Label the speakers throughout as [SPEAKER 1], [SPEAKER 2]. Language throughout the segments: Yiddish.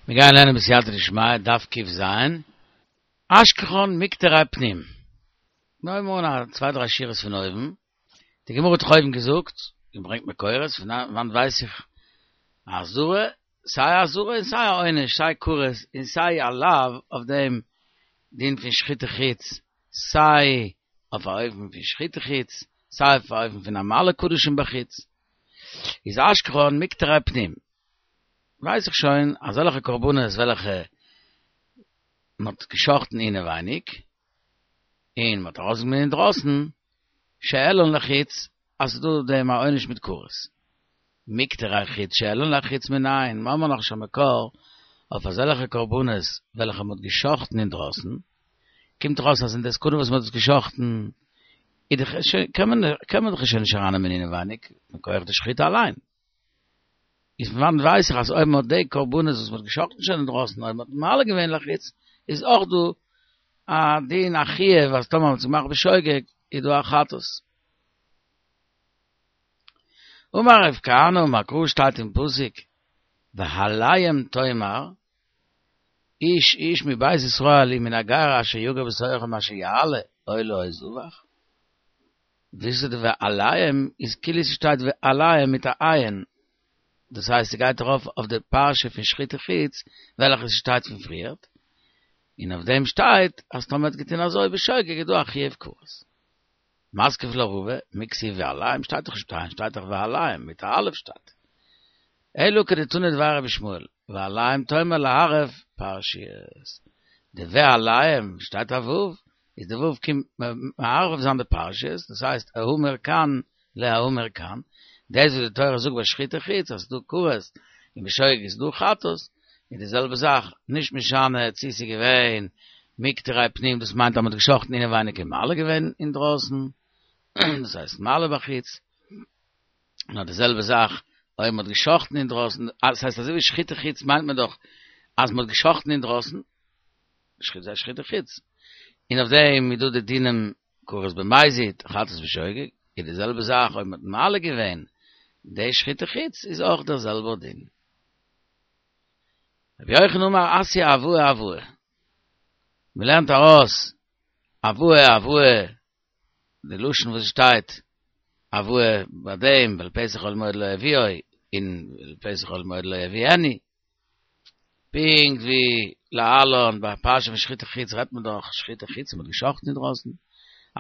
[SPEAKER 1] מיר גייען לערנען בסייעתא דשמיא, דף ק"ז, אשכחן מקטרי פנים. מיר הויבן אן א צוויי דריי שורות פון אויבן, די גמרא האט דאך אויבן געזאגט, און ברענגט מקורות, פון וואנט ווייס איך א אזהרה, סיי א אזהרה און סיי א עונש, סיי כרת און סיי א לאו אויף דעם דין פון שחוטי חוץ, סיי אויף א אופן פון שחוטי חוץ, סיי אויף א אופן פון המעלה קדשים בחוץ, איז אשכחן מקטרי פנים. ווייס איך שוין אזעלכע קרבנות וועלכע מען האט געשחטן אינעווייניג און מען האט ארויסגענומען אינדרויסן, שהעלן לחוץ, אז ס'איז דא דעם א עונש מיט כרת. מקטרי חוץ שהעלן לחוץ מנין, מיר האבן נאך נישט א מקור אויף אזעלכע קרבנות וועלכע מען האט געשחטן אינדרויסן, קומט דאך אויס אז אין די סעקונדע וואס מען האט עס געשחטן איז דאך שוין קען מען קען מען דאך שוין נישט ארייננעמען אינעווייניג מכח די שחיטה אליין. איז פון וואנעט ווייס איך אז אויב מען האט די קרבנות וואס מען האט געשחטן שוין אינדרויסן אויב מען האט מעלה געווען לחוץ איז אויך דא א דין א חיוב אז טאמער מען האט עס געמאכט בשוגג איז דא א חטאת. אמר רב כהנא אמר קרא שטייט אין פסוק ואליהם תאמר איש איש מבית ישראל ומן הגר אשר יגור בתוכם אשר יעלה עולה או זבח וואס איז די ואליהם איז כאילו ס'שטייט ועליהם מיט א עין, דאס הייסט ס'גייט ארויף אויף די פרשה פון שחוטי חוץ וועלכע ס'שטייט פון פריערט, און אויף דעם שטייט אז טאמער האט געטון אזוי בשוגג איז דא א חיוב כרת. מתקיף לה רבא, מי כתיב ועליהם שטייט דאך נישט מיט א עין שטייט דאך ואליהם מיט א אלף שטייט. אלא כדתנא דבי רבי ישמעאל, ואליהם תאמר לערב פרשיות. די ואליהם שטייט א ו', איז די ו' קומט מערב זיין די פרשיות, דאס הייסט האמור כאן להאמור כאן, דאס וואס די תורה זאגט ביי שחוטי חוץ אז ס'דא כרת און בשוגג איז דא חטאת, איז די זעלבע זאך, נישט משנה צו ס'איז געווען מקטרי פנים דאס מיינט אז מ'האט געשחטן אינעווייניג און מעלה געווען אינדרויסן, דאס הייסט מעלה בחוץ. נאר די זעלבע זאך אויב מ'האט געשחטן אינדרויסן, דאס הייסט אזוי ווי שחוטי חוץ מיינט מען דאך אז מ'האט געשחטן אינדרויסן, שחוט שחוטי חוץ, און אויף דעם איז דא די דינים כרת במזיד, חטאת בשוגג, איז די זעלבע זאך אויב מ'האט מעלה געווען די שחוטי חוץ איז אויך דער זעלבער דין. רבי יוחנן אמר אתיא הבאה הבאה, מ'לערנט ארויס הבאה הבאה די לשון וואס שטייט הבאה ביי דעם ואל פתח אוהל מועד לא יביאו און ואל פתח אוהל מועד לא יביאנו פונקט ווי להלן ביי פרשה פון שחוטי חוץ רעדט מען דאך שחוטי חוץ מ'האט געשחטן אינדרויסן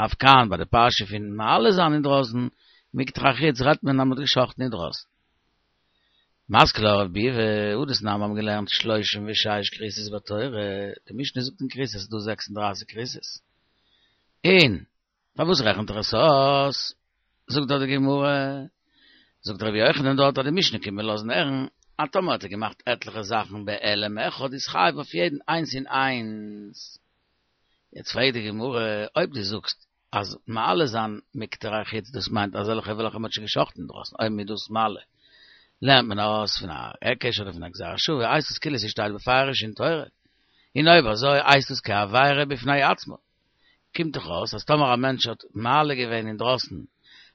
[SPEAKER 1] אף כאן ביי די פרשה פון מעלה זיין אינדרויסן מקטרי חוץ רעדט מען אז מ'האט געשחטן אינדרויסן. מתקיף לה רב ביבי, הא דתנן מיר האבן געלערנט שלושים ושש כריתות בתורה, די משנה זאגט אין כריתות אז ס'איז דא זעקס און דרייסיג כריתות, און פארוואס רעכנט ער עס אויס? זאגט דארט די גמרא, זאגט רבי יוחנן דארט אז די משנה קומט מיר לאזן הערן אז טאמער האט ער געמאכט עטליכע זאכן בהעלם אחד איז חייב אויף יעדן איינס און איינס. יעצט פרעגט די גמרא, אויב דו זאגסט אז מעלה זיין מקטרי חוץ דאס מיינט אזעלכע וועלכע מען האט שוין געשחטן אינדרויסן אויב מ'איז דאס מעלה לערנט מען ארויס פון א היקש אדער פון א גזירה שוה הייסט עס כאילו ס'שטייט בפירוש אין תורה און אויב אזוי הייסט עס כעבירה בפני עצמה קומט דאך אויס אז טאמער א מענטש האט מעלה געווען אינדרויסן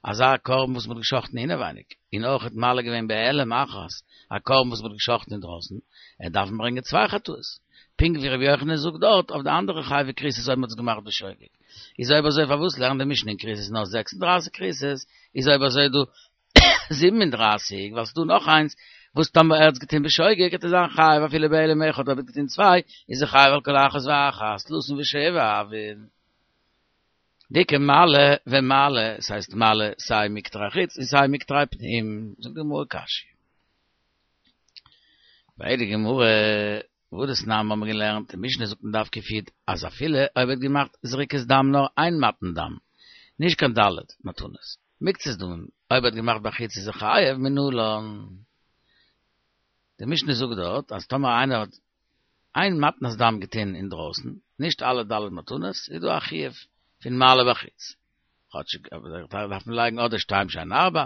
[SPEAKER 1] אזא קרבן וואס מ'האט געשחטן אינעווייניג און אויך האט מעלה געווען בהעלם אחת א קרבן וואס מ'האט געשחטן אינדרויסן ער דארף ברענגען צוויי חטאות פונקט ווי רבי יוחנן זאגט דארט אויף די אנדערע חייבי כריתות אויב מ'האט עס געמאכט בשוגג. איז אויב אזוי פארוואס לערנט די משנה אין כריתות נאר 36 כריתות, איז אויב אזוי דא 37, ווייל ס'דא נאך איינס וואס טאמער ער האט עס געטון בשוגג וועט ער זיין חייב אפילו בהעלם אחד אויב ער האט געטון צוויי איז ער חייב על כל אחת ואחת תלתין ושבע הויין. דאיכא מעלה ומעלה, ס'הייסט מעלה סיי מקטרי חוץ און סיי מקטרי פנים, זאגט די גמרא קשיא. פרעגט די גמרא והא דתנן האבן מיר געלערנט, די משנה זאגט אין דף קי"ד אז אפילו אויב ער האט געמאכט זריקת דם נאר איין מתן דם, נישט קיין ד' מתנות, מקצת דמים, אויב ער האט געמאכט בחוץ איז ער חייב מנלן. די משנה זאגט דארט אז טאמער איינער האט איין מתנת דם געטון אינדרויסן, נישט אלע ד' מתנות, איז דא א חיוב פון מעלה בחוץ. כאטשיג דארף מען לייגן אדער שתיים שהן ארבע,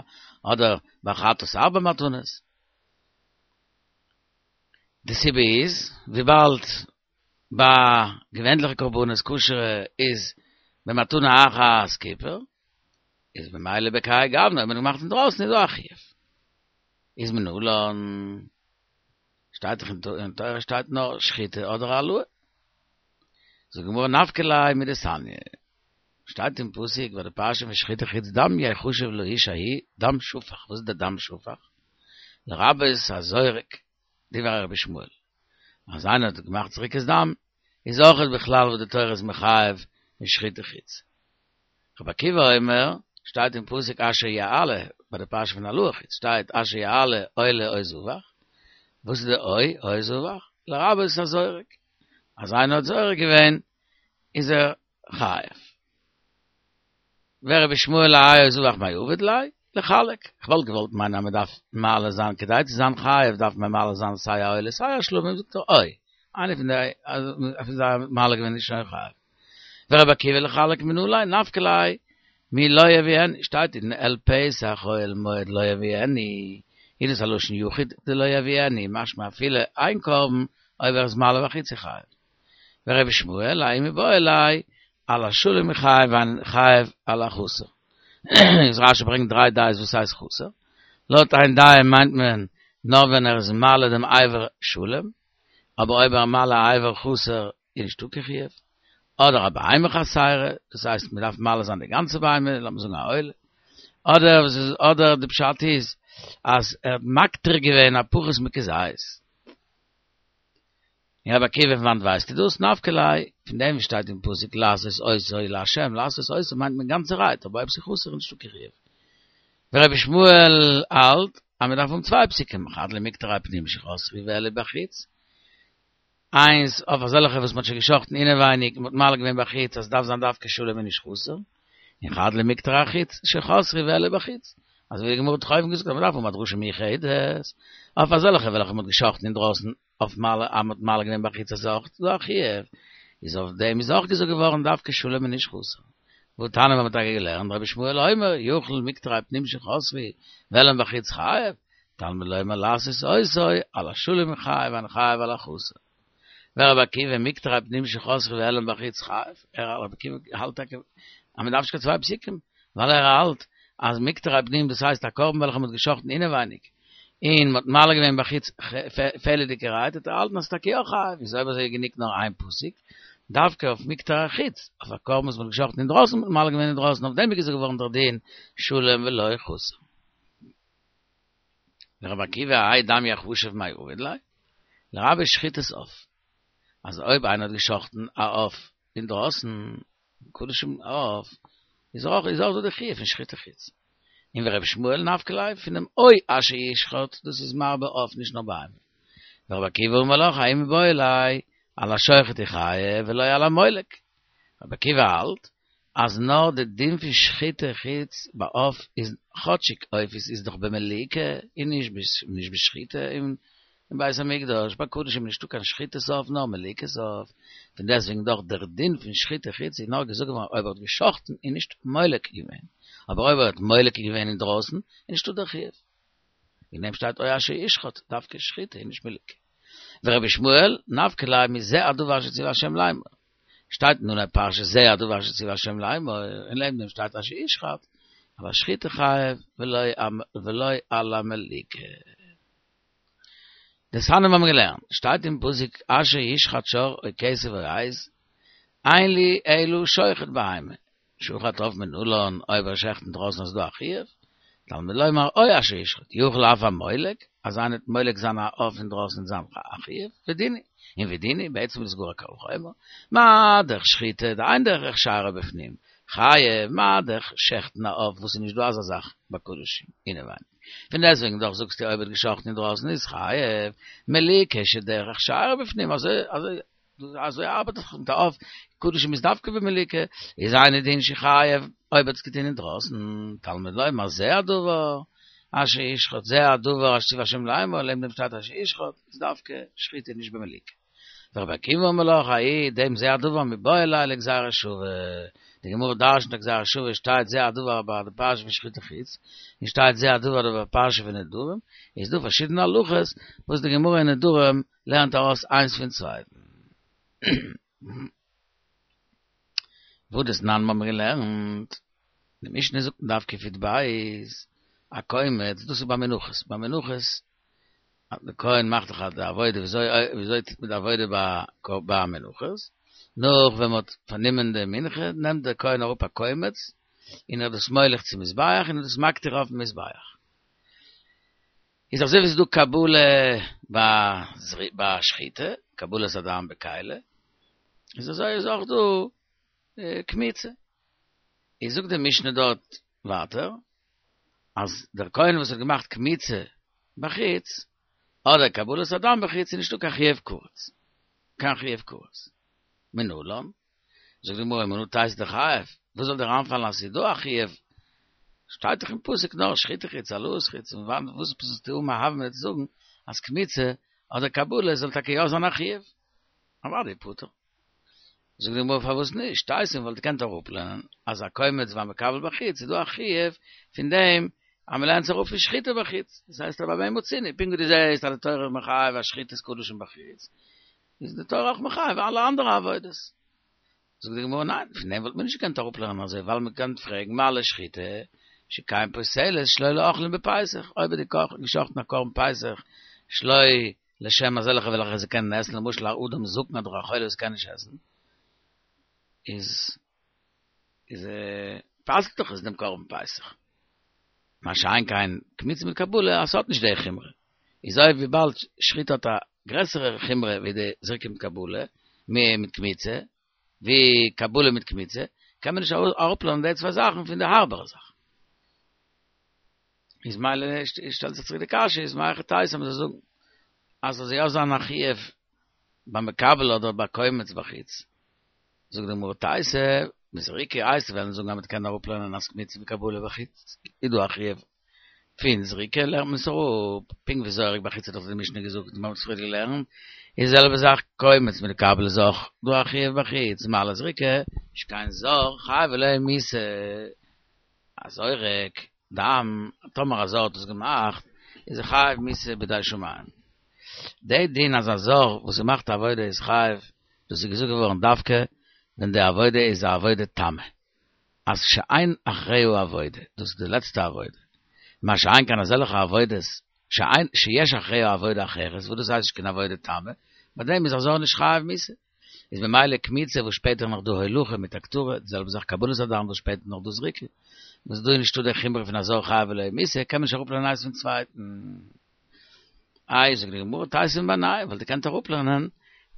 [SPEAKER 1] אדער ביי חטאת ארבע מתנות. די סיבה איז, וויבאלד ביי געווענליכע קרבנות כשר'ע איז במתנה אחת כיפור, איז ממילא בכהאי גוונא אויב מען האט געמאכט אינדרויסן איז דא א חיוב. איז מנלן. שטייט דאך אין תורה שטייט נאר שחיטה אדער העלאה. זאגט די גמרא נפקא ליה מדתניא, שטייט אין פסוק ביי די פרשה פון שחיטה חוץ דם יחשב לאיש ההוא דם שפך, וואס איז די דם שפך? לרבות הזורק, דברי רבי ישמעאל, אז איינער האט געמאכט זריקת דם, איז אויכעט בכלל וואס די תורה איז מחייב אין שחיטה חוץ. רבי עקיבא אומר, שטייט אין פסוק אשר יעלה, ביי די פרשה פון העלאה חוץ שטייט אשר יעלה עולה או זבח, וואס איז די או או זבח? לרבות הזורק, אז איינער האט זורק געווען איז ער חייב. ורבי ישמעאל האי או זבח מאי עביד ליה? לחלק. כ'וואלט געוואלט מיינען אז מ'דארף מעלה זיין כדי צו זיין חייב דארף מען מעלה זיין סיי א עולה סיי א שלמים זאגט ער או איינער פון די פון זיי האט מעלה געווען איז שוין חייב. ורבי עקיבא לחלק מנא ליה נפקא ליה מלא יביאנו שטייט אין אל פתח אוהל מועד לא יביאנו איז דאס א לשון יחיד די לא יביאנו משמע אפילו איין קרבן אויב ער איז מעלה בחוץ איז חייב. ורבי ישמעאל האי מיבעי ליה על השלם חייב ואין חייב על החסר. איז רשי ברענגט דריי דעות וואס הייסט חסר. לויט איין דעה מיינט מען נאר ווען ער איז מעלה דעם אבר שלם, אבער אויב ער מעלה א אבר חסר איז נישטא קיין חיוב. אדער א בהמה חסרה, דאס הייסט מען דארף מעלה זיין די גאנצע בהמה, לאמיר זאגן א עולה. אדער וואס איז אדער די פשט איז אז ער האט מקטיר געווען א פחות מכזית. און רבי עקיבא פון וואנט ווייסטו דאס? נפקא ליה, פון דעם וואס שטייט אין פסוק לעשות אותו לה', לעשות אותו מיינט מען גאנצערהייט, אבער אויב ס'איז חסר איז נישטא קיין חיוב. ורבי ישמעאל האלט אז מען דארף האבן צוויי פסוקים, חד למקטרי פנים שחסרו והעלו בחוץ, איינס אויף אזעלכע וואס מען האט שוין געשחטן אינעווייניג און מען האט מעלה געווען בחוץ אז ס'דארף זיין דווקא שלם און נישט חסר, און חד למקטרי החוץ שחסרו והעלו בחוץ, אזוי ווי די גמרא האט דאך אויבן געזאגט אז מען דארף האבן א דרשה מיוחדת אויף אזעלכע וועלכע מען האט געשחטן אינדרויסן אויף מעלה אז מ'האט מעלה געווען בחוץ אז אויך דא א חיוב, איז אויף דעם איז אויך געזאגט געווארן דווקא שלם און נישט חסר. והתניא מ'האט טאקע געלערנט רבי ישמעאל אומר יכול מקטרי פנים שחסרו והעלם בחוץ חייב, תלמוד לומר לעשות אותו על השלם חייב ואין חייב על החסר. ורבי עקיבא מקטרי פנים שחסרו והעלם בחוץ חייב, ער רבי עקיבא האלט טאקע אז מ'דארף נישט קיין צוויי פסוקים, ווייל ער האלט אז מקטרי פנים דאס הייסט א קרבן וועלכע מ'האט געשחטן אינעווייניג, און מ'האט מעלה געווען בחוץ פעלעדיגערהייט, האט ער געהאלטן אז ס'איז טאקע יא חייב, איז אויב אזוי גענוג נאר איין פסוק, דווקא אויף מקטרי החוץ, אויף א קרבן וואס מ'האט געשחטן אינדרויסן מ'האט מעלה געווען אינדרויסן, אויף דעם איז געזאגט געווארן דער דין שלם ולא חסר. ורבי עקיבא האי דם יחשב מאי עביד ליה, לרבות שחיטת עוף, אז אויב איינער האט געשחטן א עוף אינדרויסן, קדשים עוף, איז אויך איז אויך דא די חיוב פון שחיטה חוץ. און ורבי ישמעאל נפקא ליה פונעם או אשר ישחט, דאס איז מרבה עוף נישט נאר בהמה. ורבי עקיבא אמר לך האי מיבעי ליה על השוחט הוא חייב ולא על המולק. רבי עקיבא האלט אז נאר די דין פון שחיטה חוץ ביי עוף איז כאטשיג עופות איז דאך במליקה און נישט בשחיטה אין בית המקדש, ביי קדשים איז נישטא קיין שחיטת עוף נאר מליקת עוף, פון דעסטוועגן דאך דער דין פון שחיטה חוץ איז נאר געזאגט געווארן אויב ער האט געשחטן און נישט מולק געווען, אבער אויב ער האט מולק געווען אינדרויסן איז נישטא דער חיוב. וועגן דעם שטייט או אשר ישחט, דווקא שחיטה און נישט מליקה. ורבי ישמעאל, נפקא ליה מזה הדבר אשר ציווה השם לאמור. שטייט אין אנהייב פרשה זה הדבר אשר ציווה השם לאמור, און לעבן דעם שטייט אשר ישחט, על השחיטה חייב ולא על המליקה. דתניא האבן מיר געלערנט, שטייט אין פסוק אשר ישחט שור או כשב או עז, אין לי אלא שוחט בהמה, שחט עוף מנלן, אויב ער שעכט אינדרויסן איז דא א חיוב, תלמוד לומר או אשר ישחט, יכול אף המולק, אז איינער וועט מולק זיין א עוף אינדרויסן וועט זיין א חיוב, ודין הוא, און ודין הוא, בעצם איז עס גאר א קל וחומר, מה דאך שחיטה, דאין דרך שארה בפנים, חייב, מה דאך שעכטן א עוף וואס איז נישט דא אזא זאך ביי קדשים, אינעווייניג. פון דעסטוועגן דאך זאגסטו אויב ער האט געשחטן אינדרויסן איז חייב, מליקה שדרך שארה בפנים, אזוי אזוי אזוי ארבעט דאך מיט א עוף, קדשים איז דווקא במליקה, איז אינו דין שחייב אויב האט עס געטון אינדרויסן, תלמוד לומר זה הדבר אשר ישחט זה הדבר אשר ציווה השם לאמור, לעבן דעם שטייט אשר ישחט, איז דווקא שחיטה נישט במליקה. ורבי עקיבא אומר לך, האי דעם זה הדבר מיבעי ליה לגזירה שווה, די גמרא דרשנ'ט א גזירה שווה שטייט זה הדבר ביי די פרשה פון שחיטה חוץ, און שטייט זה הדבר ביי די פרשה פון נדרים, איז דא פארשידענע הלכות וואס די גמרא אין נדרים לערנט ארויס איינס פון צווייטן. והא דתנן האבן מיר געלערנט, די משנה זאגט אין דף קי"ב, הקומץ, דאס איז ביי מנחות, ביי מנחות. דער כהן מאכט דאך די עבודה, וויאזוי וויאזוי טוט מען די עבודה ביי ביי מנחות? נאך ווען מען האט פארנומען די מנחה, נעמט דער כהן אראפ א קומץ, און ער איז דאס מוליך צום מזבח, און איז דאס מקטיר אויפן מזבח. איז אזוי ווי ס'איז דא קבלה ביי שחיטה, קבלת הדם בכלי, איז אזוי איז אויך דא קמיצה. איז זאגט די משנה דארט ווייטער, אז דער כהן וואס האט געמאכט קמיצה בחוץ, אדער קבלת הדם בחוץ, איז נישטא קיין חיוב כרת. קיין חיוב כרת. מנלן? זאגט די גמרא מנא תיתי דחייב, וואס זאל דיר איינפאלן אז ס'איז דא א חיוב? שטייט דאך אין פסוק נאר שחיטה חוץ העלאת חוץ, און וואנעט וואס זאלסטו האבן א הוה אמינא צו זאגן אז קמיצה אדער קבלה זאל טאקע יא זיין א חיוב? אוודאי פטור. זאגט די גמרא פארוואס נישט? תיתי וואלט געקענט אראפלערנען אז א קומץ והמקבל בחוץ איז דא א חיוב פון דעם אז מ'לערנט זיך אראפ פון שחיטה בחוץ, דאס הייסט אז במה מצינו, פונקט ווי דו זעסט אז די תורה איז מחייב א שחיטת קדשים בחוץ, איז די תורה אויך מחייב אלע אנדערע עבודות. זאגט די גמרא ניין, פון דעם וואלט מען נישט געקענט אראפלערנען אזוי, ווייל מען קען פרעגן מה לשחיטה שכן פוסלת שלא לאוכלים בפסח, אויב האט ער געשחטן א קרבן פסח שלא לשם אזעלכע וועלכע זיי קענען עסן, למשל א אדם זקן אדער א חולה וואס קען נישט עסן, איז איז פסל'ט דאך עס דעם קרבן פסח. מה שאין כן קמיצה מיט קבלה אז ס'האט נישט די חומרא. איז אויב וויבאלד שחיטה האט א גרעסערע חומרא ווי די זריקה מיט קבלה, מיט קמיצה, ווי קבלה מיט קמיצה, קען מען נישט אראפלערנען די צוויי זאכן פון די הארבערע זאך. איז מילא שטעלט זיך צוריק די קשיא, איז מהיכי תיתי אז מ'זאל זאגן אז ס'זאל יא זיין א חיוב ביי מקבל אדער ביי קומץ בחוץ. זאגט די גמרא תיתי, מזריקה הייסט וועלן זאגן אז מ'קען אראפלערנען אז קמיצה וקבלה בחוץ איז דא א חיוב פון זריקה לערנט מען עס אראפ, פונקט ווי זורק בחוץ האט דאך די משנה געזאגט און מ'האט עס פריער געלערנט, איז די זעלבע זאך קומץ מיט קבלה איז אויך דא א חיוב בחוץ, מה לזריקה שכן זר חייב עליה מיתה, א זורק דם, טאמער א זר האט עס געמאכט איז ער חייב מיתה בידי שמים. די דין אז א זר וואס געמאכט א עבודה איז חייב דאס איז געזאגט געווארן דווקא ווען די עבודה איז א עבודה תמה, אז שאין אחריה עבודה, דאס איז די לעצטע עבודה, מה שאין כן אזעלכע עבודות שאין שיש אחריה עבודה אחרת, וואס דאס הייסט נישט קיין עבודה תמה, ביי דעם איז א זר נישט חייב מיתה. איז ממילא קמיצה וואס שפעטער נאך דא הולכה מיט הקטרה, די זעלבע זאך קבלת הדם וואס שפעטער נאך דא זריקה, וואס דא איז נישטא די חומרא פון א זר חייב עליה מיתה, קען מען נישט אראפלערנען איינס פון צווייטן. איי זאגט די גמרא תיתי מבינייהו וואלט געקענט אראפלערנען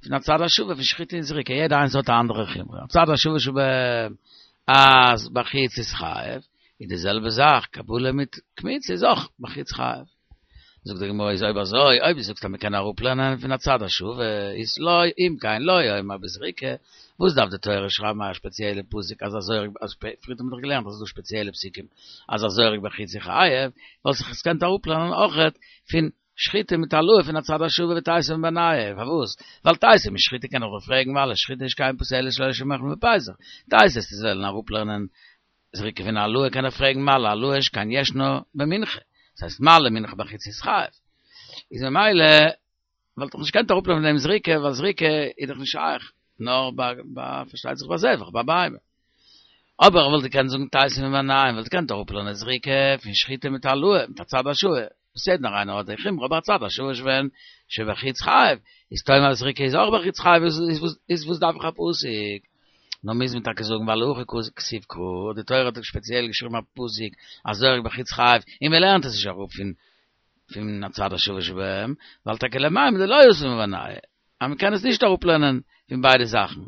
[SPEAKER 1] פון הצד השווה פון שחיטה און זריקה יעדע איינס האט א אנדערע חומרא הצד השווה שבהם אז בחוץ איז חייב איז די זעלבע זאך קבלה מיט קמיצה איז אויך בחוץ חייב זאגט די גמרא איז אויב אזוי אויב דו זאגסט אז מ'קען אראפלערנען פון הצד השווה איז לא אם כן לא יאמר בזריקה וואס דארף די תורה שרייבן א שפעציעלע פסוק אז א זורק אז פריער האט מען דאך געלערנט אז ס'איז דא שפעציעלע פסוקים אז א זורק בחוץ איז חייב, וואלט זיך עס געקענט אראפלערנען אויכעט פון שחיטה מיט העלאה פון הצד השווה ותיתי מבינייהו, פארוואס? ווייל תיתי משחיטה קען איך דאך פרעגן מה לשחיטה שכן פוסלת שלא לשם אוכלים בפסח, תיתי וועסטו וועלן אראפלערנען זריקה פון העלאה קען איך פרעגן מה להעלאה שכן ישנה במנחה, דאס הייסט מעלה מנחה בחוץ איז חייב, איז ממילא וואלט איך נישט געקענט אראפלערנען פון דעם זריקה, ווייל זריקה איז דאך נישט שייך, נאר ביי ביי פארשטייט זיך ביי זבח, ביי בהמה. אבער איך וואלט געקענט זאגן תיתי מבינייהו, וואלט געקענט אראפלערנען זריקה פון שחיטה מיט העלאה, מיט הצד השוה, וואס יעדער איינער האט די חומרא, אבער הצד השוה שבהן שבחוץ חייב, איז תאמר אז זריקה איז אויך בחוץ חייב, איז וואס דארף איך א פסוק? נאר מוז מען טאקע זאגן ווייל הכא כתיב קרא, די תורה האט שפעציעל געשריבן א פסוק אז זורק בחוץ חייב, און מען לערנט עס נישט אראפ פון פון הצד השווה שבהם, ווייל טאקע למימר דלא אתי מבינייהו, אז מען קען עס נישט אראפלערנען פון ביידע זאכן,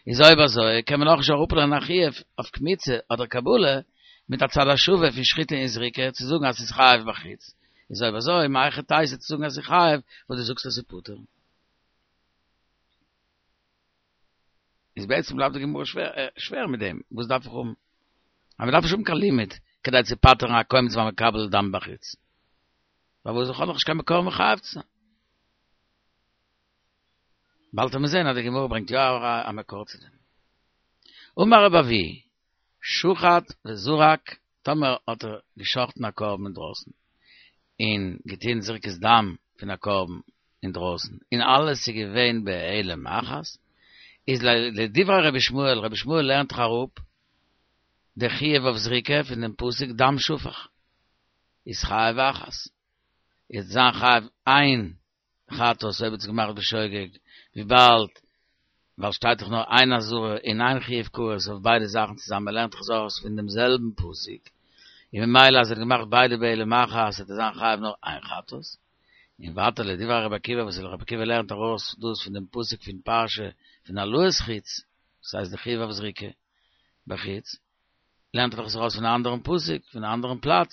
[SPEAKER 1] איז אויב אזוי קען מען אויך נישט אראפלערנען א חיוב אויף קמיצה אדער קבלה מיט הצד השווה פון שחיטה און זריקה צו זאגן אז ס'איז חייב בחוץ, איז אויב אזוי מהיכי תיתי צו זאגן אז ס'איז חייב וואס דו זאגסט אז ס'איז פטור? איז בעצם בלייבט די גמרא שווער מיט דעם, וואס דארף איך האבן? אז מען דארף נישט האבן קיין לימוד כדי צו פטר'ן א קומץ והמקבל דם בחוץ. פארוואס איך האב נאך נישט קיין מקור מחייב צו זיין. באלד וועט מען זען אז די גמרא ברענגט יא א מקור צו דעם. אמר רבי אבהו, שחט וזרק, טאמער האט ער געשחט'ן א קרבן אינדרויסן, און געטון זריקת דם פון א קרבן אינדרויסן, און אלעס איז געווען בהעלם אחת, איז לדברי רבי ישמעאל, רבי ישמעאל לערנט דאך אראפ די חיוב אויף זריקה פון דעם פסוק דם שפך, איז חייב אחת, איז זיין חייב איין. חטאת אויב האט עס געמאכט בשוגג, וויבאלד ווייל שטייט דאך נאר איין אזהרה און איין חיוב כרת אויף ביידע זאכן צוזאמען מען לערנט דאך עס ארויס פון דעם זעלבן פסוק, און ממילא אז ער האט געמאכט ביידע בהעלם אחת וועט ער זיין חייב נאר איין חטאת. און ווייטער לדברי רבי עקיבא וואס רבי עקיבא לערנט ארויס דאס פון דעם פסוק פון פרשה פון העלאת חוץ, דאס הייסט די חיוב אויף זריקה בחוץ, לערנט ער דאך עס ארויס פון א אנדערן פסוק, פון א אנדערן פלאץ,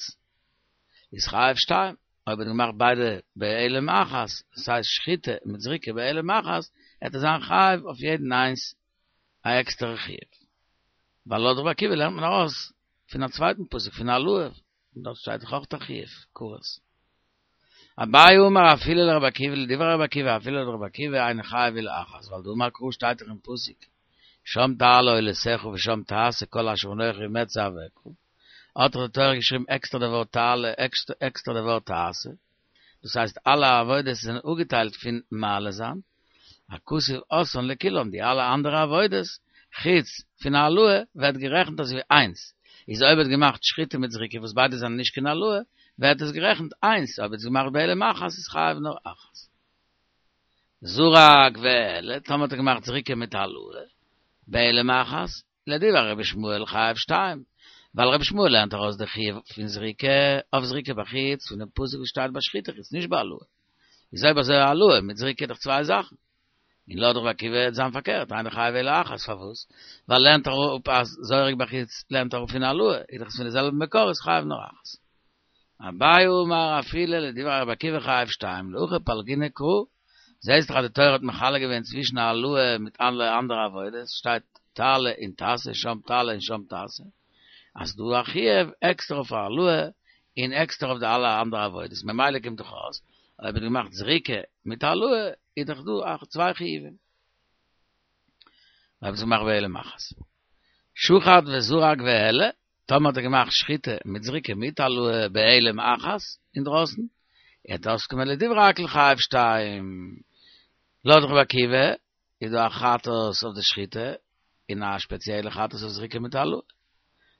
[SPEAKER 1] איז חייב שתיים, אויב האט געמאכט ביידע בהעלם אחת, דאס הייסט שחיטה מיט זריקה בהעלם אחת, וועט ער זיין חייב אויף יעדן איינס א עקסטערע חיוב. ווייל לויט רבי עקיבא לערנט מען ארויס פון א צווייטן פסוק פון העלאה, און דארט שטייט דאך אויך א חיוב כרת. אביי אמר אפילו לרבי עקיבא לדברי רבי עקיבא אפילו לרבי עקיבא אינו חייב אלא אחת ווייל דאמר קרא שטייט דאך אין פסוק שם תעלה עולתך ושם תעשה כל אשר אנכי מצוך האט דאך די תורה געשריבן עקסטער די ווארט תעלה עקסטער די ווארט תעשה דאס הייסט אלע עבודות זענען אפגעטיילט פון מעלה זיין הכתוב עשאן לכולן, די אלע אנדערע עבודות חוץ פון העלאה ווערט גערעכנט אזויווי איינס, איז אויב האט געמאכט שחיטה מיט זריקה וואס ביידע זענען נישט קיין העלאה ווערט עס גערעכנט איינס, אויב האט עס געמאכט בהעלם אחת איז חייב נאר אחת. זרק והעלה, טאמער האט ער געמאכט זריקה מיט העלאה בהעלם אחת, לדברי רבי ישמעאל חייב שתיים, ווייל רבי ישמעאל לערנט ארויס די חיוב פון זריקה אויף זריקה בחוץ פון דעם פסוק וואס שטייט ביי שחיטה חוץ נישט ביי העלאה. איז אויב אזוי העלאה מיט זריקה איז דאך צוויי זאכן. און לויט רבי עקיבא וועט זיין פארקערט, אינו חייב אלא אחת, פארוואס? ווייל לערנט אראפ אז זורק בחוץ לערנט אראפ פון העלאה, איז דאך עס פון די זעלבע מקור איז חייב נאר אחת. אביי אמר אפילו לדברי רבי עקיבא חייב שתיים, להכי פלגינן קרא, זעהסט דאך אז די תורה האט מחלק געווען צווישן העלאה מיט אלע אנדערע עבודות, שטייט תעלה און תעשה, שם תעלה און שם תעשה, אז ס'דא א חיוב עקסטער אויף העלאה און עקסטער אויף די אלע אנדערע עבודות, ממילא קומט דאך אויס אויב האט געמאכט זריקה מיט העלאה איז דאך דא צוויי חיובים. אויב האט עס געמאכט בהעלם אחת. שחט וזרק והעלה, טאמער האט ער געמאכט שחיטה מיט זריקה מיט העלאה בהעלם אחת אינדרויסן, וועט אויסקומען לדברי הכל חייב שתיים. לויט רבי עקיבא איז דא א חטאת אויף די שחיטה און א שפעציעלע חטאת אויף זריקה מיט העלאה.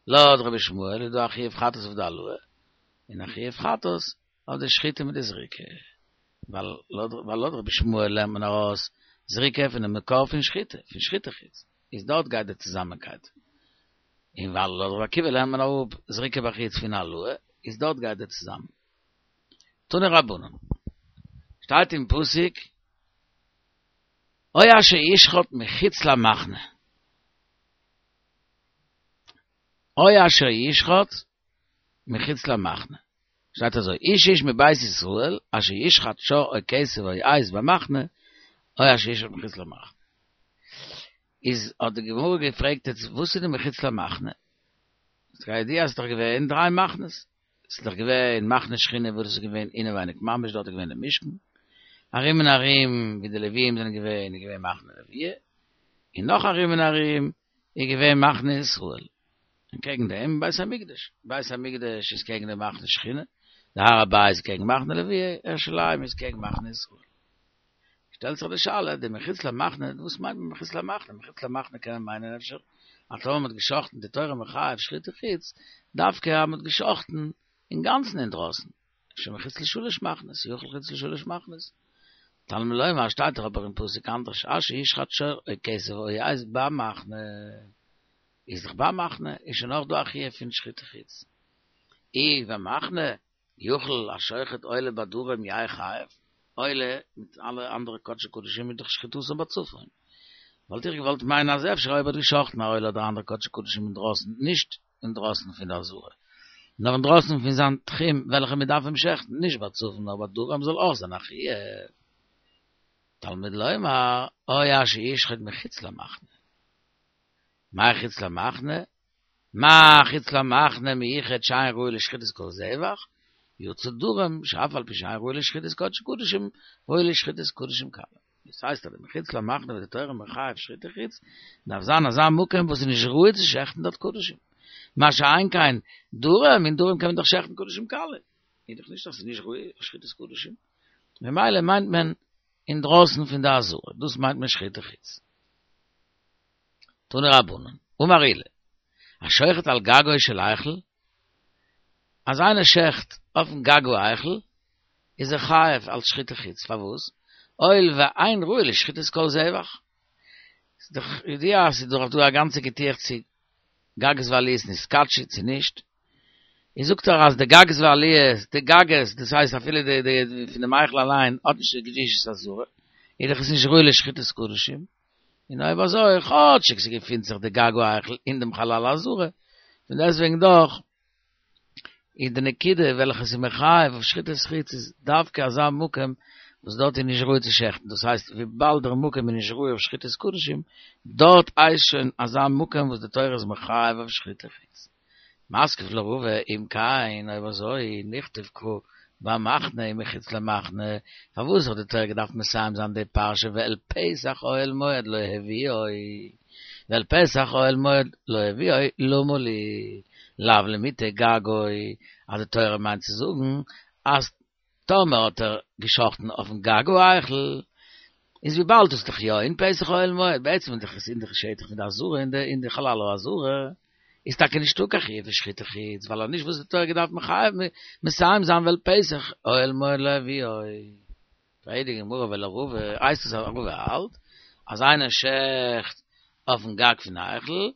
[SPEAKER 1] לויט רבי ישמעאל איז דא א חיוב חטאת אויף די העלאה און א חיוב חטאת אויף די שחיטה מיט די זריקה. ווייל לויט רבי ישמעאל לערנט מען ארויס זריקה פונעם מקור פון שחיטה, פון שחיטה חוץ, איז דארט גייט די צוזאמענקייט. און ווייל לויט רבי עקיבא לערנט מען אראפ זריקה בחוץ פון העלאה, איז דארט גייט די צוזאמען. תנו רבנן. שטייט אין פסוק, או אשר ישחט מחוץ למחנה. או אשר ישחט מחוץ למחנה. שטייט אזוי, איש איש מבית ישראל אשר ישחט שור או כשב או עז במחנה, או אשר ישחט מחוץ למחנה. איז האט די גמרא געפרעגט יעצט וואס איז די מחוץ למחנה? כידוע אז ס'איז דאך געווען דריי מחנות, ס'איז דאך געווען מחנה שכינה וואס איז געווען אינעווייניג ממש דארט איז געווען די משכן, ארום און ארום ווי די לוויים זענען געווען איז געווען מחנה לוויה, און נאך ארום און ארום איז געווען מחנה ישראל, און קעגן דעם בית המקדש, בית המקדש איז קעגן די מחנה שכינה, די הר הבית איז קעגן מחנה לוויה, ירושלים איז קעגן מחנה ישראל. שטעלט זיך די שאלה, די מחוץ למחנה, וואס מיינט מען מחוץ למחנה? מחוץ למחנה קען מען מיינען אפשר אז טאמער מ'האט גע'שחט'ן די תורה מחייב שחיטה חוץ, דווקא אז מ'האט גע'שחט'ן אינגאנצן אינדרויסן, אפשר מחוץ לשלש מחנות, יכול חוץ לשלש מחנות. תלמוד לומר שטייט דאך אבער אין פסוק אנדערש, אשר ישחט שור או כשב או עז במחנה, איז דאך במחנה איז שוין אויך דא א חיוב פון שחיטה חוץ. אי במחנה יכול השוחט עולה בדרום יהא חייב, עולה מיט אלע אנדערע קדשי קדשים איז דאך שחיטתן בצפון. וואלט איך געוואלט מיינען אז אפשר אויב האט געשחטן א עולה אדער אנדערע קדשי קדשים אינדרויסן, נישט אינדרויסן פון די עזרה, נאר אינדרויסן פון זיין תחום וועלכע מען דארף אים שעכטן, נישט בצפון נאר בדרום זאל אויך זיין א חיוב. תלמוד לומר, או אשר ישחט מחוץ למחנה. מאי חוץ למחנה? מה חוץ למחנה מיוחד שאין ראוי לשחיטת כל זבח, יצא דרום שאף על פי שאין ראוי לשחיטת קדשי קדשים, ראוי לשחיטת קדשים קלים. דאס הייסט אז די מחוץ למחנה וואס די תורה מחייב שחיטה חוץ, דארף זיין אזא מקום וואס איז נישט ראוי צו שעכטן דארט קדשים. מה שאין כן דרום, אין דרום קען מען דאך שעכטן קדשים קלים. איז דאך נישט אז ס'איז נישט ראוי לשחיטת קדשים. ממילא מיינט מען אינדרויסן פון די עזרה, דאס מיינט מען שחיטה חוץ. תנו רבנן, אמר עולא, השוחט על גגו של היכל, אז איינער שעכט אויפן גג ההיכל, איז ער חייב אלס שחיטה חוץ, פארוואס? הואיל ואין ראוי לשחיטת כל זבח. ס'איז דאך ידוע אז ס'איז דאך דא א גאנצע געטועכץ צו גגות ועליות נתקדשו צו נישט. איז זאגט ער אז די גגות ועליות, די גגות, דאס הייסט אפילו די די פון דעם היכל אליין האט נישט די קדושת העזרה, איז דאך עס נישט ראוי לשחיטת קדשים. און אויב אזוי, כאטשיג ס'געפינט זיך די גג ההיכל אין דעם חלל העזרה, פון דעסטוועגן דאך איז די נקודה וועלכע ס'איז מחייב אויף שחיטת חוץ איז דווקא אזא מקום וואס דארט איז נישט ראוי צו שעכטן, דאס הייסט וויבאלד דער מקום איז נישט ראוי אויף שחיטת קדשים, דארט הייסט שוין אזא מקום וואס די תורה איז מחייב אויף שחיטת חוץ. מתקיף לה רבא אם כן, אויב אזוי, נכתוב קרא במחנה ומחוץ למחנה, פארוואס האט די תורה געדארפט מסיים זיין די פרשה ואל פתח אוהל מועד לא הביאו? ואל פתח אוהל מועד לא הביאו למה לי לאו למעוטי גגו, אז די תורה מיינט צו זאגן אז טאמער האט ער געשחטן אויפן גג ההיכל, איז וויבאלד דאס איז דאך יא אין פתח אוהל מועד, בעצם איז דאך עס אין די שטח פון די עזרה אין די חלל העזרה, איז טאקע נישטא קיין חיוב פון שחיטה חוץ, ווייל אז נישט וואס די תורה געדארפט מחייב מסיים זיין ואל פתח אוהל מועד לא הביאו. פרעגט די גמרא ולרבא, הייסט עס אז רבא האלט אז איינער שעכט אויפן גג פון היכל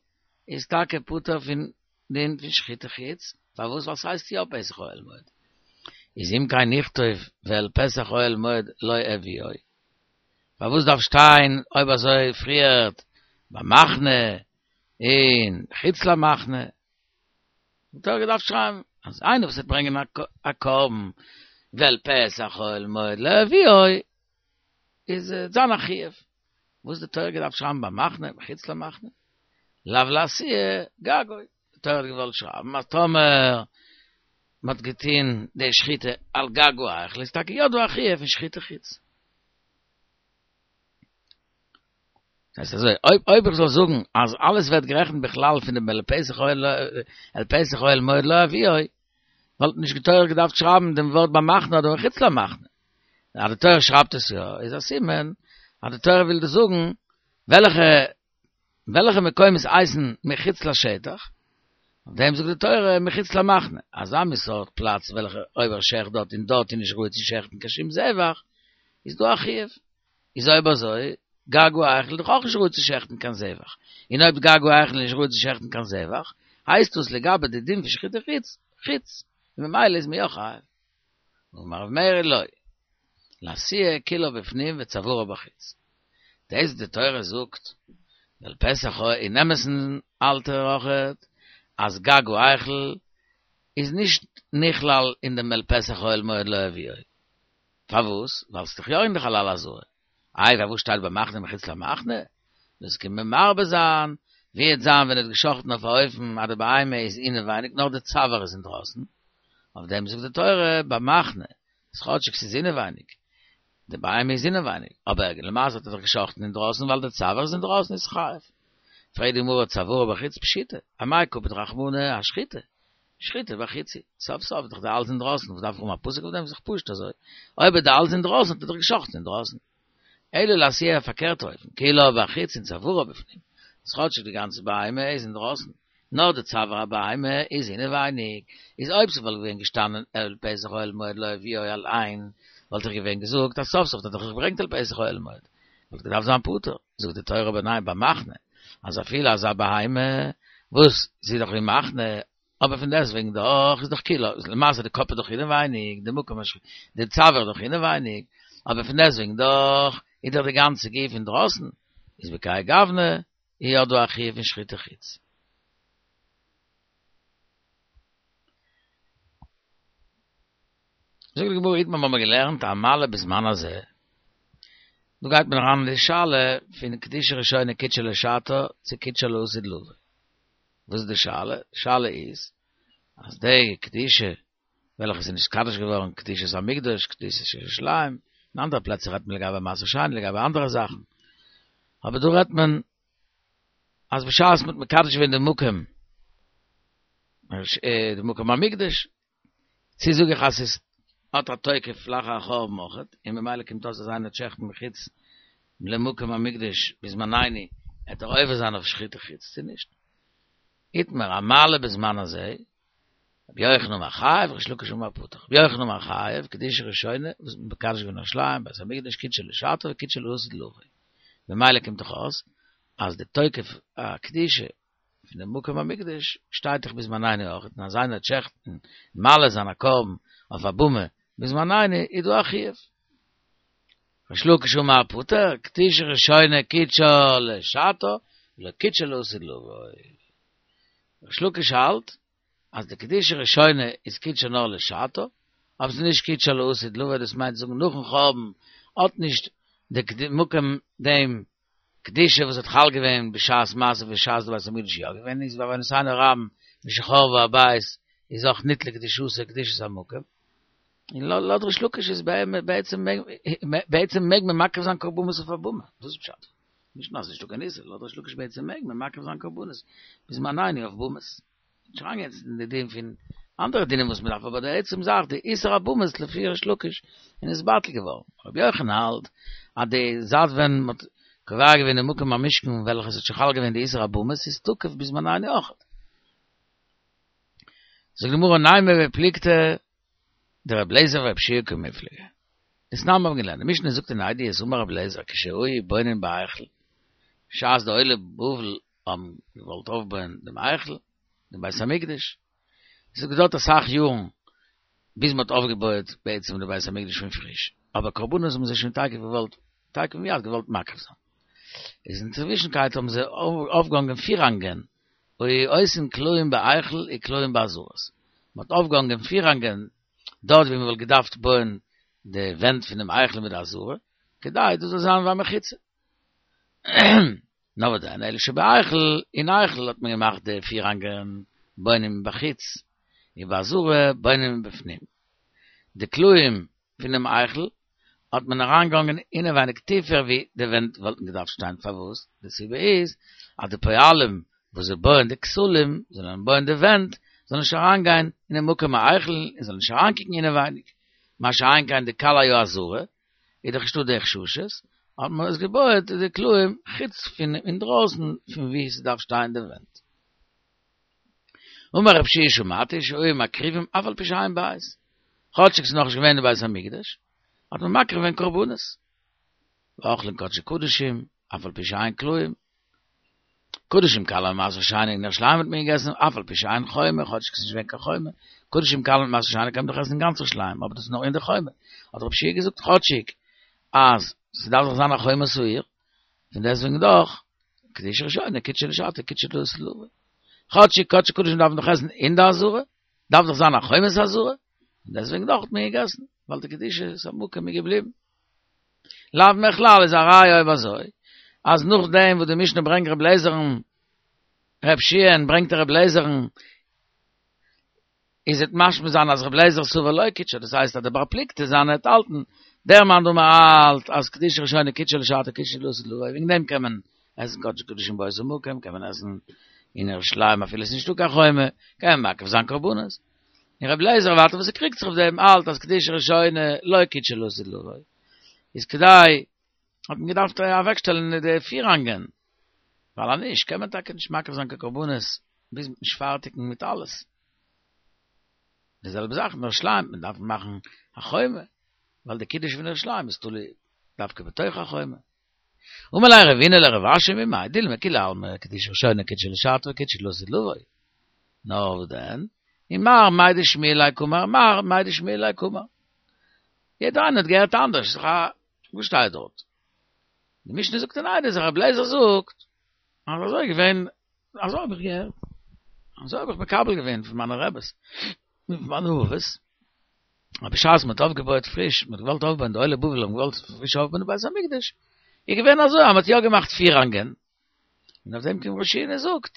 [SPEAKER 1] איז טאקע פטור פון דין פון שחיטה חוץ, פארוואס ווייל ס'הייסט יא פתח אוהל מועד, איז אם כן נכתוב ואל פתח אוהל מועד לא הביאו, פארוואס דארף שטיין אויב אזוי פריערט במחנה און חוץ למחנה? די תורה געדארפט שרייבן אז איינער וואס וועט ברענגען א קרבן ואל פתח אוהל מועד לא הביאו איז זיין א חיוב, וואס די תורה געדארפט שרייבן במחנה מחוץ למחנה? לאו לאתויי גגו, די תורה האט געוואלט שרייבן אז טאמער מען האט געטון די שחיטה על גג ההיכל איז טאקע יא דא א חיוב פון שחיטה חוץ. דאס הייסט אזוי, אויב אויב איך זאל זאגן אז אלעס ווערט גערעכנט בכלל פון דעם אל פתח אוהל אל פתח אוהל מועד לא הביאו, וואלט נישט די תורה געדארפט שרייבן דעם ווארט במחנה אדער מחוץ למחנה. אז די תורה שרייבט עס יא, איז א סימן אז די תורה וויל דא זאגן וועלכע וועלכע מקומות הייסן מחוץ לשטח, אויף דעם זאגט די תורה מחוץ למחנה, אזא מין סארט פלאץ וועלכע אויב ער שעכט דארט און דארט איז נישט ראוי צו שעכטן קיין שום זבח, איז דא א חיוב. איז אויב אזוי, גג ההיכל איז דאך אויך נישט ראוי צו שעכטן קיין זבח, און אויב גג ההיכל איז נישט ראוי צו שעכטן קיין זבח, הייסט דאס לגבי די דין פון שחיטה חוץ, חוץ, און ממילא איז מען יא חייב. אמר רב מרי לא, לאתויי כולה בפנים וצווארה בחוץ. דאס וואס די תורה זאגט, ואל פתח אוהל אין אמת'ן האלט ער אויכעט אז גג ההיכל איז נישט נכלל אין דעם אל פתח אוהל מועד לא הביאו. פארוואס? ווייל ס'איז דאך יא אין די חלל העזרה. איי פארוואס שטייט במחנה מחוץ למחנה? דאס קען מען מרבה זיין, ווי וועט זיין ווען ער האט געשחט'ן אויף א אופן אז די בהמה איז אינעווייניג נאר די צוואר איז אינדרויסן, אויף דעם זאגט די תורה במחנה, אז כאטשיג ס'איז אינעווייניג, די בהמה איז אינעווייניג, אבער למעשה האט ער דאך געשחט'ן אינדרויסן ווייל די צוואר איז אינדרויסן איז חייב. פרעגט די גמרא צווארה בחוץ פשיטא, אמאי קפיד רחמנא אשחיטה? שחיטה בחוץ היא, סוף סוף איז דאך די האלז אינדרויסן, וואס דארף איך האבן א פסוק אויף דעם, איז דאך פשוט אזוי, אויב איז די האלז אינדרויסן האט ער דאך געשחט'ן אינדרויסן. אלא לאתויי א פארקערטע אופן, כולה בחוץ און צווארה בפנים, אז כאטשיג די גאנצע בהמה איז אינדרויסן, נאר די צוואר הבהמה איז אינעווייניג, איז אויב ס'וואלט געווען געשטאנען אל פתח אוהל מועד לא הביאו אליין, וואלט איך געווען געזאגט אז סוף סוף האט ער דאך געברענגט אל פתח אוהל מועד, וואלט געדארפט זיין פטור, זאגט די תורה אבער ניין במחנה, אז אפילו אזא בהמה וואס זי איז דאך ווי מחנה, אבער פון דעסטוועגן דאך איז דאך כולה, למעשה די קאפ איז דאך אינעווייניג, די מקום השחיטה, די צוואר איז דאך אינעווייניג, אבער פון דעסטוועגן דאך איז דאך די גאנצע גוף אינדרויסן, איז בכהאי גוונא איז יא דא א חיוב פון שחיטה חוץ. זאגט די גמרא איתמר האבן מיר געלערנט המעלה בזמן הזה, דא גייט מען אריין אין די שאלה פון קדושה ראשונה קידשה לשעתה צו קידשה לעתיד לבוא, וואס איז די שאלה? די שאלה איז אז די קדושה וועלכע איז נתקדש געווארן קדושת המקדש, קדושת ירושלים, אין אנדערע פלעצער רעדט מען לגבי מעשר שני לגבי אנדערע זאכן, אבער דא רעדט מען אז בשעת מ'האט מקדש געווען די מקום, די מקום המקדש, צו זאג איך אז ס'איז האט א תוקף לאחר החורבן אויכעט, און ממילא קומט אויס אז איינער וועט שעכטן מחוץ למקום המקדש בזמנינו, עט ער עובר זיין אויף שחיטה חוץ צו נישט. איתמר המעלה בזמן הזה. רבי יוחנן אמר חייב, ריש לקיש אמר פטור. רבי יוחנן אמר חייב, קדושה ראשונה, וואס מ'האט מקדש געווען ירושלים, בית המקדש, קידשה לשעתה וקידשה לעתיד לבוא. ממילא קומט דאך אויס אז די תוקף הקדושה פון דעם מקום המקדש שטייט דאך בזמנינו אויך, און אז איינער וועט שעכטן און מעלה זיין א קרבן אויף א במה בזמנינו איז דא א חיוב. ריש לקיש אמר פטור, קדושה ראשונה קידשה לשעתה ולא קידשה לעתיד לבוא. ריש לקיש האלט אז די קדושה ראשונה איז קידשה נאר לשעתה, אבער ס'איז נישט קידשה לעתיד לבוא, דאס מיינט זאגן נאכן חורבן האט נישט די מקום דעם קדושה וואס האט חל געווען בשעת מעשה בשעת די בית המקדש יא געווען איז בעוונותינו הרבים משחרב הבית איז אויך ניטלה קדושתו קדושת המקום, און לויט ריש לקיש איז בעצם בעצם מעג מען מקריב זיין קרבנות אויף א במה, דאס איז פשט. נישט נאר אז ס'נישטא קיין איסור, לויט ריש לקיש בעצם מעג מען מקריב זיין קרבנות בזמנינו אויף במות. נישט אריינגיין יעצט אין די דין פון אנדערע דינים וואס מ'דארף, אבער די עצם זאך די איסור הבמות לפי ריש לקיש איז נתבטל געווארן. רבי יוחנן האלט אז די זייט ווען מ'האט קובע געווען די מקום המשכן וועלכע ס'האט שוין חל געווען די איסור הבמות איז תקף בזמנינו אויכעט. זאגט די גמרא נימא בפלוגתא דרבי אליעזר ורבי יהושע קמיפלגי. דתנן מיר האבן געלערנט, די משנה זאגט אין עדיות אמר רבי אליעזר כשהיו בונין בהיכל, בשעת די עולי בבל האבן געוואלט אויפבויען דעם היכל, דעם בית המקדש, עס האט געדויערט אסאך יארן ביז מען האט אויפגעבויעט בעצם די בית המקדש פון פריש, אבער קרבנות האבן זיי שוין תיכף געוואלט, תיכף ומיד געוואלט מקריב זיין. איז אינצווישנקייט האבן זיי אויפגעהאנגען פירהאנגען, היו עושין קלעים בהיכל וקלעים בעזרות, מען האט אויפגעהאנגען פירהאנגען דארט ווי מען וואלט געדארפט בויען די ווענט פונעם היכל מיט די עזרה, כדי דאס זאל זיין ווי א מחיצה. נאר וואס דען, אלא שבהיכל, אין היכל האט מען געמאכט די פירהאנגען בונים מבחוץ, ובעזרה בונים מבפנים. די קלעים פונעם היכל האט מען אריינגעהאנגען אינעווייניג טיפער ווי די ווענט וואלטן געדארפט שטיין, פארוואס? די סיבה איז אז די פועלים וואס זיי בויען די כתלים, זאלן בויען די ווענט, זאלן נישט אריינגיין אינעם מקום ההיכל און זאלן נישט אריינקוקן אינעווייניג, מה שאין כן די קלעי העזרה, איז דאך נישטא די חששות, האט מען עס געבויעט די קלעים חוץ פון אינדרויסן פון וואו ס'דארף שטיין די ווענט. אמר רב שיע שמעתי שהיו מקריבים אף על פי שאין בית, כאטשיג ס'איז נאכנישט געווען די בית המקדש, האט מען מקריב געווען קרבנות. ואוכלין קדשי קדשים אף על פי שאין קלעים. קדשים קלים מעשר שני אין ירושלים האט מען געגעסן אף על פי שאין חומה, כאטשיג ס'איז נישט געווען קיין חומה. קדשים קלים מיט מעשר שני קען מען דאך עסן אין גאנץ ירושלים, אבער דאס איז נאר אין די חומה. האט רב שיע געזאגט כאטשיג אז ס'דארף דאך זיין א חומת העיר, פון דעסטוועגן דאך קדושה ראשונה קידשה לשעתה קידשה לעתיד לבוא. כאטשיג קדשי קדשים דארף מען דאך עסן אין די עזרה, דארף דאך זיין א חומת העזרה, פון דעסטוועגן דאך האט מען געגעסן, ווייל די קדושת המקום איז געבליבן. לאו מכלל איז א ראיה אויב אזוי, אז נאכדעם וואס די משנה ברענגט ר' לעזער'ן, ר' שיע'ן ברענגט ער ר' לעזער'ן, איז וועט משמע זיין אז ר' לעזער סבר לא קידשה, דאס הייסט אז דער בר פלוגתא זיינער וועט האלטן, דער מאן דאמר האלט אז קדושה ראשונה קידשה לשעתה קידשה לעתיד לבוא, וועגן דעם קען מען עסן קדשי קדשים באותו מקום, קען מען עסן אין ירושלים אפילו עס איז נישטא קיין חומה, קען מען מקריב זיין קרבנות. און ר' לעזער ווייטער וואס ער קריגט זיך אויף דעם האלט אז קדושה ראשונה לא קידשה לעתיד לבוא, איז כדי האט מען געדארפט אוועקשטעלן די פירהאנגען, ווייל אז נישט קען מען טאקע נישט מקריב זיין קיין קרבנות ביז מ'וועט נישט פארטיגן מיט אלעס. די זעלבע זאך אין ירושלים, מען דארף מאכן א חומה, ווייל די קידוש פון ירושלים איז תלוי דווקא בתוך החומה. אמר ליה רבינא לרב אשי ממאי דילמא כולי עלמא קדושה ראשונה קידשה לשעתה וקידשה לעתיד לבוא. נאר וואס דען? ומר מאי דשמיע ליה קאמר מר מאי דשמיע ליה קאמר. יעדער איינער האט געהערט אנדערש, ס'איז דאך א וואס שטייט דארט? די משנה זאגט אין עדיות אז רבי אליעזר זאגט אז אזוי איז געווען אזוי האב איך געהערט, אזוי האב איך מקבל געווען פון מיינע רעבעס, פון מיינע אבות, אז בשעת מען האט אויפגעבויעט פריש, מען האט געוואלט אויפבויען, די עולי בבל האבן געוואלט פריש אויפבויען די בית המקדש, איז געווען אזוי אז מען האט יא געמאכט פירהאנגען, און אויף דעם קומט ר' יהושע און זאגט,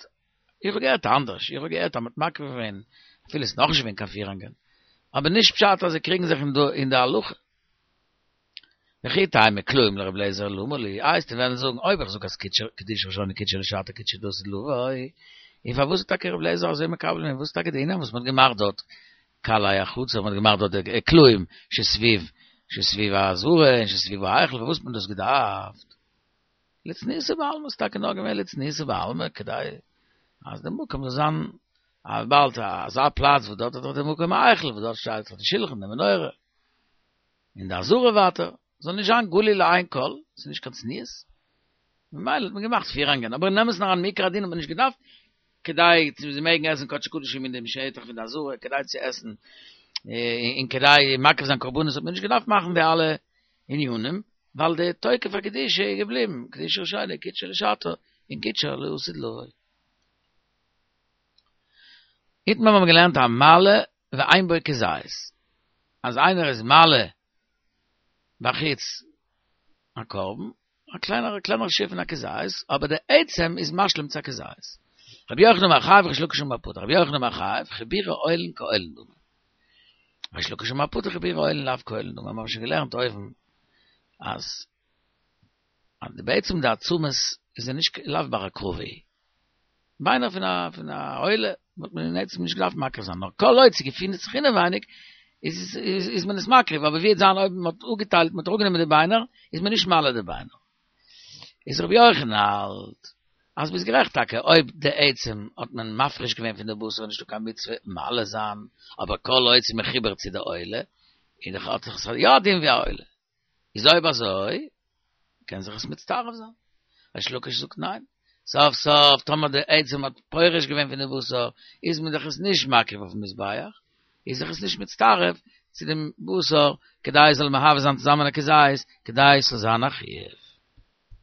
[SPEAKER 1] איך האב געהערט אנדערש, איך האב געהערט אז מען האט מקריב געווען, אפילו עס איז נאכנישט געווען קיין פירהאנגען, אבער נישט פשט אז זיי קריגן זיך אין די הלכה. וכי תימא קלעים לר' אליעזר למה לי, איי וועסטו וועלן זאגן אויב איך זאג אז קדושה ראשונה קידשה לשעתה קידשה לעתיד לבוא, און פארוואס איז טאקע ר' אליעזר אזוי מקבל געווען, וואס איז טאקע די ענין וואס מ'האט געמאכט דארט קלעי החצר, מ'האט געמאכט דארט די קלעים שסביב שסביב העזרה און שסביב ההיכל, פארוואס האט מען דאס געדארפט? לצניעותא בעלמא, ס'איז טאקע נאר געווען לצניעותא בעלמא כדי אז די מקום זאל זיין. וויבאלד אזא פלאץ וואס דארט איז דאך די מקום ההיכל וואס דארט שטייט דאך די שלחן די מנורה און די עזרה ווייטער זאל נישט זיין גלוי לעין כל, ס'איז נישט קיין צניעות, ממילא האט מען געמאכט פירהאנגען, אבער אין אמת'ן אריין מעיקר הדין האט מען נישט געדארפט כדי צו זיי מעגן עסן קדשי קדשים אין דעם שטח פון די עזרה, כדי צו עסן און כדי מקריב זיין קרבנות האט מען נישט געדארפט מאכן די אלע ענינים, ווייל די תוקף הקדושה איז געבליבן, קדושה ראשונה קדשה לשעתה און קדשה לעתיד לבוא. איתמר האבן געלערנט המעלה ואין בו כזית, אז איינער איז מעלה בחוץ א קרבן, א קלענערע קלענערע שיעור פון א כזית, אבער די עצם איז משלים צו א כזית. רבי יוחנן אומר חייב ריש לקיש אמר פטור, רבי יוחנן אומר חייב, חיבורי אוהלין כאוהלין דמי. ריש לקיש אמר פטור חיבורי אוהלין לאו כאוהלין דמי, מיר האבן שוין געלערנט אויבן אז אז די בעצם די עצמות איז נישט לאו בר הקרבה. ביינער פון א פון א עולה וואלט מען אין עצם נישט געדארפט מקריב זיין, נאר כל עוד ס'געפינט זיך אינעווייניג איז איז מען עס מקריב, אבער ווי וועט זיין אויב מ'האט אפגעטיילט מ'האט אראפגענומען די ביינער איז מען נישט מעלה די ביינער. איז רבי יוחנן האלט אז ביסט גערעכט טאקע אויב די עצם האט מען מפריש געווען פון די בשר איז נישטא קיין מצוה מעלה זיין, אבער כל עוד ס'איז מחובר צו די עולה איז דאך האט דאך עס יא א דין ווי א עולה. איז אויב אזוי קען זיך עס מצטרף זיין. ריש לקיש זאגט ניין. סוף סוף טאמער די עצם האט פורש געווען פון די בשר איז מען דאך עס נישט מקריב אויפן מזבח, איז זיך עס נישט מצטרף צו דעם בשר כדי עס זאל מהווה זיין צוזאמען א כזית, כדי עס זאל זיין א חיוב.